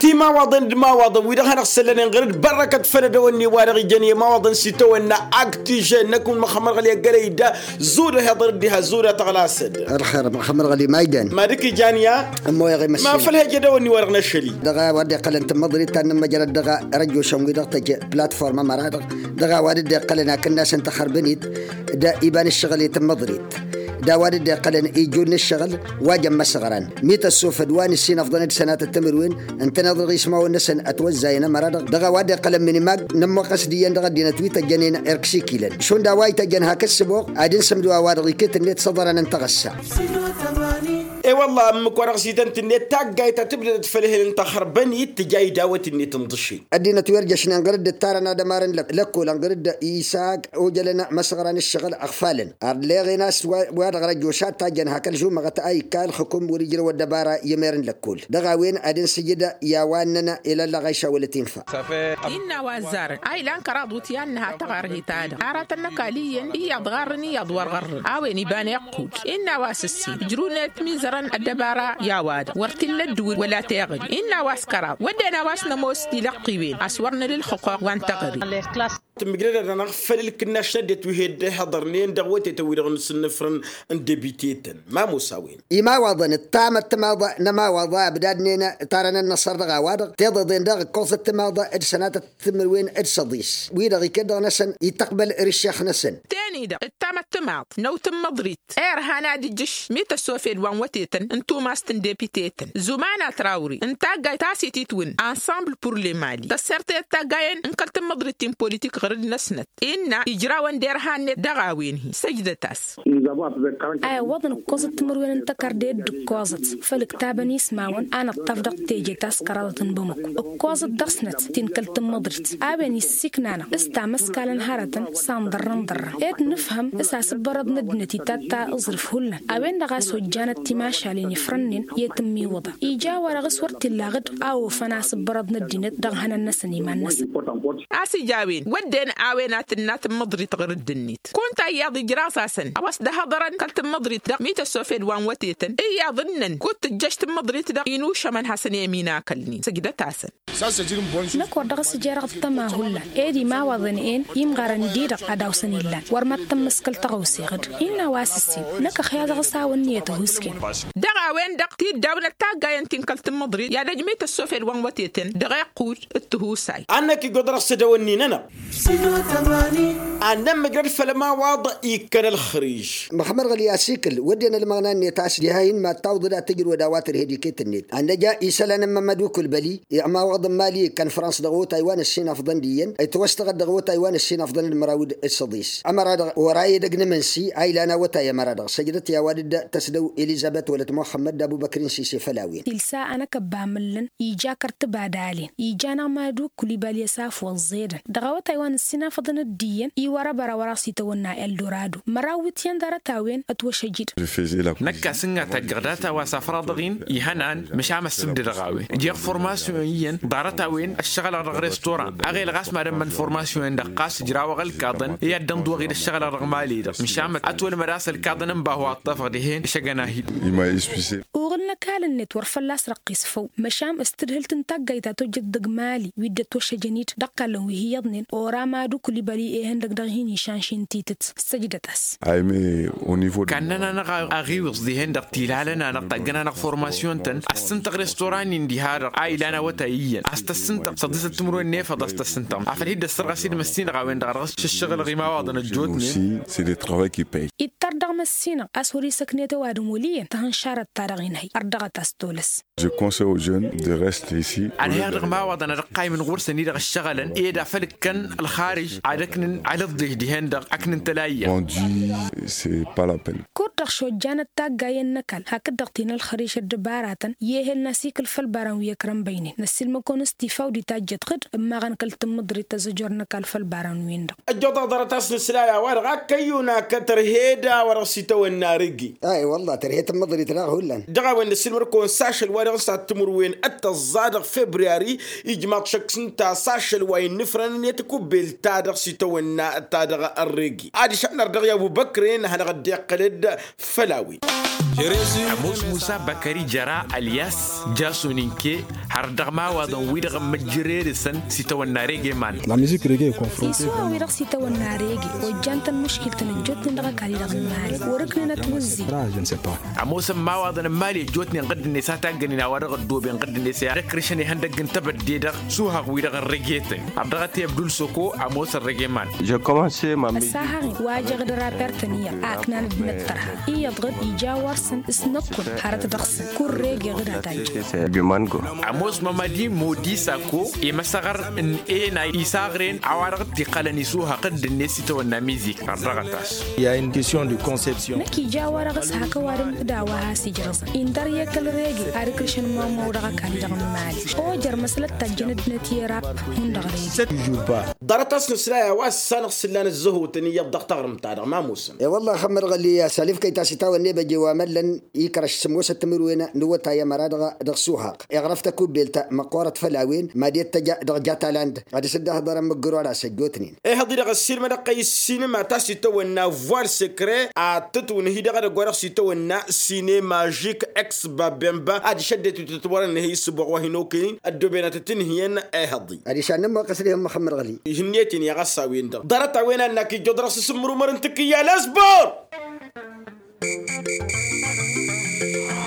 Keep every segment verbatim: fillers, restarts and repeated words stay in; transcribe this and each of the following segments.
Timawaḍen d-imawaḍen wi-dăɣ hanăɣ-săllănen ɣur-dd bărrăkăt făll-ădăwănni-wa-dăɣ ijăn i-imawaḍăn s-itawănna. Aktijăn năkk wăr măxămmăr ɣăli ăggălăy da. Zudăh iḍăr dd-iha zudăh tăɣlasăd. Ălxer măxămmăr ɣăli ma ijăn. Ma dăk-ijan ya. Ămmoyăɣ i-măssin ma făl hejădăwănni-wa-dăɣ n-ašăl-i. Dăɣ-a-wa dd-iqqălăn tǝmmăḍrit ta n-nǝmmăjrăd dăɣ-arăjjošăn-wi-dăɣ tăjj platforma măra-dăɣ. Dăɣ-a-wa dd-iqqălăn akǝnnas n-taxărbănit d-iba n-ǝššăɣǝl i-tǝmmăḍrit. D-a-wa dd-iqqălăn ijud n-ǝššăɣǝl wa jăn măsɣăran mi tăssofăd wa nǝssin ăfḍăn d-sănatăt timǝrwen. Ǝntăneḍ dăɣ-ismawăn-năsăn ătwăzzayăn ămăra-dăɣ dăɣ-a-wa dd-iqqălăn minimag. Nămmoqqăs d-iyyăn dăɣ-ăddinăt wi tăjjănen irksikilăn šund a-wa ităjjăn hak ǝssǝboɣ ad-insǝmdǝw a-wa-dăɣ iket-net s-ăḍărăn n-taɣǝssa. E-wălla ǝmmǝk-wa-dăɣ s-ităn-tǝnnet taggayt ta tǝbdădăt făll-ehel n-taxărbănit tǝja idawăt-net n-ḍǝššen. Ăddinăt wi ărjăšnen ɣur-dd ǝttarăn ad-ămarăn lăkkolăn ɣur-dd isag ojălăn măsɣăran ǝššăɣǝl ăɣfalăn. Ărleɣen a-s wa-dăɣ răjjošat tajjăn hak ălžumăɣăt a ikka ălxǝkum wăr-ijrăw ăddăbara i-emer n-lăkkol dăɣ-a-wen ad-insǝjǝd i-a-wa ǝnnăn ilăllăɣ a išawălăt infa. Innă a-wa ăzzarăn a ilan kăraḍ wǝtyan n-ha tăɣarhit-a-dăɣ aratăn n-ăkall iyyăn iyyăḍ ɣarrăn iyyăḍ wăr ɣărrăn a-wen iba n-iqqud. Innă a-wa s-ǝssin ǝjrǝwnen ătmizărăn ăddăbara i-a-wa-dăɣ wăr t-illa ăddǝwǝl wăla teɣări. Innă a-wa s-kăraḍ wădden a-wa s-nămoos tilăqqǝwen a-s wăr nǝla ǝlxǝqquɣ wa n-teɣări. Tǝmmǝjrăd-anăɣ făll-ǝlkǝnnaš n-ăddinăt wi he-dd-ihăḍărnen dăɣ-wătetăn-wi-dăɣ n-asǝnnǝfrăn n-debiteten. Ma musawen. Imawaḍăn ǝttamăt timaḍ n-ămawaḍa ăbdadnen tarăn-ănnăṣăr dăɣ-a-wa-dăɣ tiḍeḍen daɣ ǝkkoẓăt timaḍ d-sănatăt timǝrwen d-săḍis wi-dăɣ iket dăɣ-năsăn ităqbăl ri-ǝššex-năsăn. Teni-dăɣ ǝttamăt timaḍ n-awt n-imǝḍrit irhan ad-ǝjjǝš mi tăssofed wa n-wătetăn n-tumast n-depitetăn zumana trawri n-taggayt ta s-ititwǝn ansămbl pur lemali tăssert i-ăttaggayen n-kăl-tǝmmǝḍrit ti n-politik ɣur-dd-năsnăt. Innă ijrawăn d-irhan-net dăɣ-a-wen-hi săjdăt-as. A iwwăḍăn ǝkkoẓăt timǝrwen n-tăkarde d-ǝkkoẓăt făll-ǝktabăn ismawăn a nǝṭṭaf dăɣ-teje ta s-kăraḍăt n-bamăko ǝkkoẓăt dăɣ-snăt ti n-kăl-tǝmmǝḍrit a-wen issiknanăɣ s-tamăskalăn hărătăn s-anḍărrăn ḍărrăn ed nǝfhăm s-asǝbbărăḍ n-ăddinăt itatta aẓrǝf hullan. A-wen-dăɣ a-s ojjanăt timašalen ifrănnen i-tǝmmiwǝḍa ija-wa-dăɣ s-wăr t-illa aɣǝd a ofăn asǝbbărăḍ n-ăddinăt dăɣ-ihănan-năsăn iman-năsăn. A-s ija a-wen wădden a-wen a tǝnna tǝmmǝḍrit ɣur-dd-net kunta iyyăḍ ijraẓ-asăn a-wa s-dd-ăhăḍărăn kăl-tǝmmǝḍrit-dăɣ mi tăssofed wa n-wătetăn iyyăḍ ǝnnăn kud-tǝjjăš tǝmmǝḍrit-dăɣ inušămăn hasăn-i ăminakăl-nin săjdăt-asăn. Năkk wăr dăɣ-s ija dăɣ-ăṭṭăma hullan ed imawaḍăn-en imɣarăn-di-dăɣ ad-awsăn illan wăr mad-tămmăskăl tăɣawse ɣǝd. Innă a-wa s-ǝssin năkk ăxya dăɣ-s a-wa ǝnniyăt ăhuusken. Dăɣ-a-wen-dăɣ tiddawnăt taggayen ti n-kăl-tǝmmǝḍrit i-ad-ăjmăy tăssofed wa n-wătetăn dăɣ-iqqud d-tihusay. Ad-năkk igoḍ dăɣ-s ădăwănni-nănăɣ. Ad-nămmăjrăd făll-ămawaḍ ikkăn ălxărij. Măxămmăr ɣǝli asikǝl wădden ălmăɣna-net a-s diha-in mad-tawǝḍăd ad-tǝjrǝwăd a-wa tărhed iket-net ad-năj a isălan n-mămăd ukulbăli. Iɣmawaḍ n-mali ikkăn frans dăɣ-otay wa n-ǝssin afḍăn d-iyyăn itwăstăɣăd dăɣ-otay wa n-ǝssin afḍăn d-măraw d-săḍis. Ămăra-dăɣ ora edăgg n-imǝnsi a ilan awătay ămăra-dăɣ săjdăt i-a-wa dd-tăsdăw elizăbet wălăt muxămmăd d-abubăkrin sise făll-a-wen. Tilsa a năkk ăbba amǝllăn ija kăr-tǝbadalen ija-năɣ mad-ukulibali ăsaf wăẓẓedăn dăɣ-awătay wa n-ǝssin afăḍăn d-iyyăn iwărăbăr a wăr-aɣ s-itawănna eldorado măraw wi t-iyyăn ḍarăt-a-wen. Ătwăšăjjǝd. Năkk a-s ǝnga taggaɣ data wa s-afraḍăɣ-in ihănan măšan ăssǝbdădăɣ a-wen ǝjeɣ formasyon iyyăn ḍarăt-a-wen ăššăɣǝlăɣ dăɣ-restoran. Aɣelăɣ a-s mad-ămmăn formasyon-en-dăɣ ɣas ǝjrawăɣ ălkaḍăn i-ad-dd-ănḍuwăɣ-dd ăššăɣǝlăɣ dăɣ-mali-dăɣ măšan măd-ătwălmăd a-s ălkaḍăn n-bahu a ǝṭṭăfăɣ dihen. Išăgăn-ahi-dd. Uɣǝl n-ăkall-net wăr fălla-s răqqis făw măšan s-tǝdhǝlt n-taggayt ta tojjăt dăgg-mali wi dd-ătwăššăjăn-dd dăɣ-kallăn wi hi-iyyăḍnen ora mad-ukulibăli ehăn-dăgg dăɣ-hin-išan šintitǝt. Săjdăt-as. Kannăn-anăɣ aɣiwǝẓ dihen-dăɣ tilalăn-anăɣ taggăn-anăɣ formasyon-tăn ăssintăɣ restoran-in diha-dăɣ a ilan awătay iyyăn a-s tăssintăɣ săḍisăt timǝrwen n-efăḍ a-s tăssintăɣ afăl hi-dd-ăssărɣas-dd măssinăɣ a-wen-dăɣ a dăɣ-s šǝššăɣǝlăɣ imawaḍăn ăjjootnen. Aussi c'est le travail qui paie. Ittăr dăɣ-măssinăɣ a-s wăr-isăknet ăwadǝm wăl' iyyăn tăhǝnšarăt-ta-dăɣ inhăy ărdăɣăt a-s tolăs. Je conseille aux jeunes de rester ici. Ănhăyăɣ dăɣ-imawaḍăn ad-ăqqaymǝn ɣur-săn-i-dăɣ ǝššăɣǝlăn ed afăl ǝkkăn ălxarǝj ad-ăknǝn ălǝḍḍej dihen-dăɣ ăknǝn tălayya. Vendu, c'est pas la peine. Kud-dăɣ šojjanăt taggayen n-ăkall hakd-dăɣ ti n-ălxărǝj ăddăbaratăn i-ehel n-asikǝl făll-ibarăn wi ăkrăn băynen năssiilmăd-kăwăn s-tifaw d-itajjăt ɣǝd ǝmmaɣăn kăl-tǝmmǝḍrit tăẓăjor n-ăkall făll-ibarăn-win-dăɣ. Ăjjoḍăɣ ḍarăt a-s nǝsla i-a-wa-dăɣ a kăyyun akăt ărhed a-wa dăɣ-s itawănna rǝggi. Ay wălla tărhed tǝmmǝḍrit daɣ hullan. Dăɣ-a-wen nǝsǝlmăr-kăwăn s-ašăl wa dăɣ-s ad-timǝrwen d-tăẓẓa dăɣ-februari ijmaḍ šăkk s-ǝnta a-s ašăl wa innǝfrăn-net kubbel-ta-dăɣ s-itawănna ta dăɣ-ărregi ad-išănnăr dăɣ-i abubăkre n-ad-hanăɣ-dd-iqqălăd. Făll-a-wen. Ămoos musa băkări jăra ălyas jason inke. Ar dăɣ-imawaḍăn-wi-dăɣ ămmăjjăre dăɣ-săn s-itawănna regeman. La mizik rege e confronte. Isuha-wi-dăɣ s-itawănna rege ojjan-tăn muškil-tăn ăjjootnen dăɣ-ăkall-i-dăɣ n-imali wăr-ǝknǝnăt wǝzzin. Ămoosăn imawaḍăn n-imali ăjjootnen ɣǝdd-net a taggănen a-wa dăɣ-ăddooben ɣǝdd-net i-ad-ăkrǝšăn ihăndăgg n-tebădde-dăɣ. Suhaɣ-wi-dăɣ ărrege-tăn. Ărdăɣăt i-abdul soko ămoos ărrege iman. Ăssahaɣ-i wa jăɣ-dd raper-tăn iyyăḍ a ǝknan dd-nǝttărha iyyăḍ ɣǝd ija wăr-săn s-năkkun hărăt dăɣ-săn. Kurrege ɣǝd a tajjăn. Ămoos mămădi modi sako i-măsăɣăr n-ena isaɣren a-wa-dăɣ t-iqqălăn isuhaɣ ɣǝdd-net s-itawănna mizik. Ărdăɣăt-as. Năkk ija a-wa-dăɣ s-hak ăwadǝm d-a-wa has-ijrăẓăn indăr i-kăl-rege ad-ǝkrǝšăn mămăw dăɣ-ăkall-i-dăɣ n-imali. Ojăr măslăt tajjăn ăddinăt i-rap hundăɣ rege. Ḍarăt-as nǝsla i-a-wa s-sanăɣ s-ǝllan ăzzăhotăn iyyăḍ dăɣ-taɣrǝmt-ta-dăɣ ma ămoosăn. E-wălla ăxămmăr ɣăli a-s alifkăy ta s-itawănne băje wa măllăn ikrăš sǝmmosăt timǝrwen n-iwătay ămăra dăɣ-suhaɣ. Iɣrăf takubelt măqqoorăt făll-a-wen mad-i ăttăja dăɣ-jataland ad-dăr-s dd-ăhḍărăn mǝggărola s-ăjjootnen. Ehăḍ-i-dăɣ ăssiilmădăɣ-kăy ǝssinǝma ta s-itawănna voile secret a tǝtwǝnhǝy dăɣ-edăgg-wa-dăɣ s-itawănna sinemažik ex babemba adiš ăddinăt wi tǝtwărăn ǝnhǝy ǝssǝboɣ wa hin-okăyăn ăddooben ad-tǝtǝnhǝyăn. Ehăḍ-i adiš ad-nǝmmoqqăs dihăn măxămmăr ɣăli. Ihǝnniyăt-in i-a ɣas a-wen-dăɣ ḍarăt-a-wen a ǝnnak ijjuḍ dăɣ-s asǝmmǝrumăr n-tǝkkǝyya lesbor.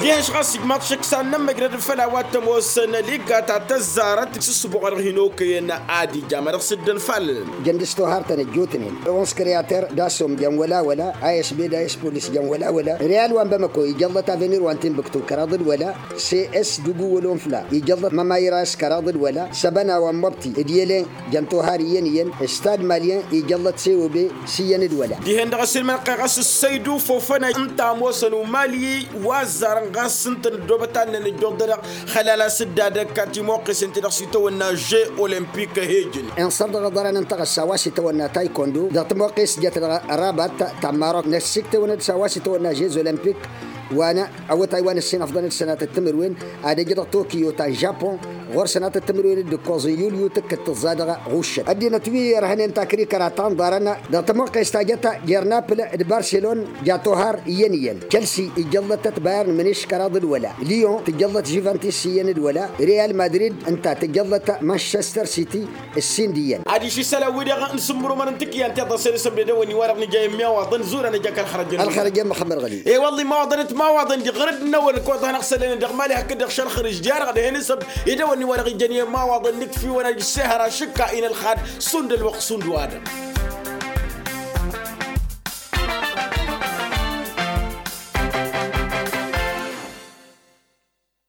Dihen-š ɣas ijmaḍ šăkk s-ad-nămmăjrăd făll-a-wa t-ămoosăn liga ta tăzzarăt s-ǝssǝboɣ wa dăɣ-hin-okăyăn. Ad-ija ma dăɣ-s dd-ănfalăn. Jăn dăɣ-s tohartăn ăjjootnen onze creater d-assom jăn wăla-wăla. Asb d-aspolis jăn wăla-wăla. Real wa n-bamăko ijăllăt avenir wa n-timbuktu kăraḍ d-wăla. Cs dugu wăla onfla ijăllăt mămayras kăraḍ d-wăla. Săbăna wa n-măbti d-yălen jăn tohar iyyăn-iyyăn. Stad malyen ijăllăt cob s-iyyăn d-wăla. Dihen-dăɣ ăsilmănăɣ-kăy ɣas ǝssăydu fofănăy ǝnta ămoosăn umali wa ăzzarăn ɣas ǝntăn ăddoobăt ad-năn ǝjjuḍ-dăɣ. Xălal-as dd-ad-ăkka timoqqesen-ti-dăɣ s-itawănna žeux olămpik ăhejăn. Inṣăr dăɣ-iḍarăn ǝnta ɣas a-wa s-itawănna taykondo dăɣ-timoqqes jăt dăɣ-rabat ta n-marok năssiktewăn-dd s-a-wa s-itawănna žeux olămpik. Wa n-awătay wa n-ǝssin ăfḍăn-dd sănatăt timǝrwen ad-ăj dăɣ-tokiyo ta n-žapon. Ɣur-sănatăt timǝrwen d-ǝkkoẓ n-yulyu tǝkkǝd tǝẓẓa dăɣ-ɣuššăt ăddinăt wi irhănen takrikăra ta n-iḍarăn dăɣ-timoqqes ta jăt jer-napl d-barselon. Ja tohar iyyăn-iyyăn. Čălsi ijăllătăt bayern mǝniš kăraḍ d-wăla. Liyon tǝjăllăt žuventis iyyăn d-wăla. Real madrid ǝnta tǝjăllăt manšester siti. Ǝssin d-iyyăn. Adiš isălan-wi-dăɣ n-sǝmmărumăn n-tǝkǝyya n-tiḍăsen isămdădăwăn-i-wa-dăɣ nǝja i-immiyawaḍăn zurăn ăj akăl xărăjăn. Ălxărăjăn măxămmăr ɣăli. E-wălla imawaḍăn d-timawaḍăn diɣ ɣăr-dd n-awăl ǝkkoḍăhăn ăɣsălăn-in-dăɣ mali hakd-dăɣ šălxărǝž diha-dăɣ dăɣ-hen isăb idăwăn-i-wa-dăɣ ijăn i-imawaḍăn nǝkf'-iwăn ad-issehăr ašǝkka-in ălxad. Šund ălwăqq šund wa-dăɣ.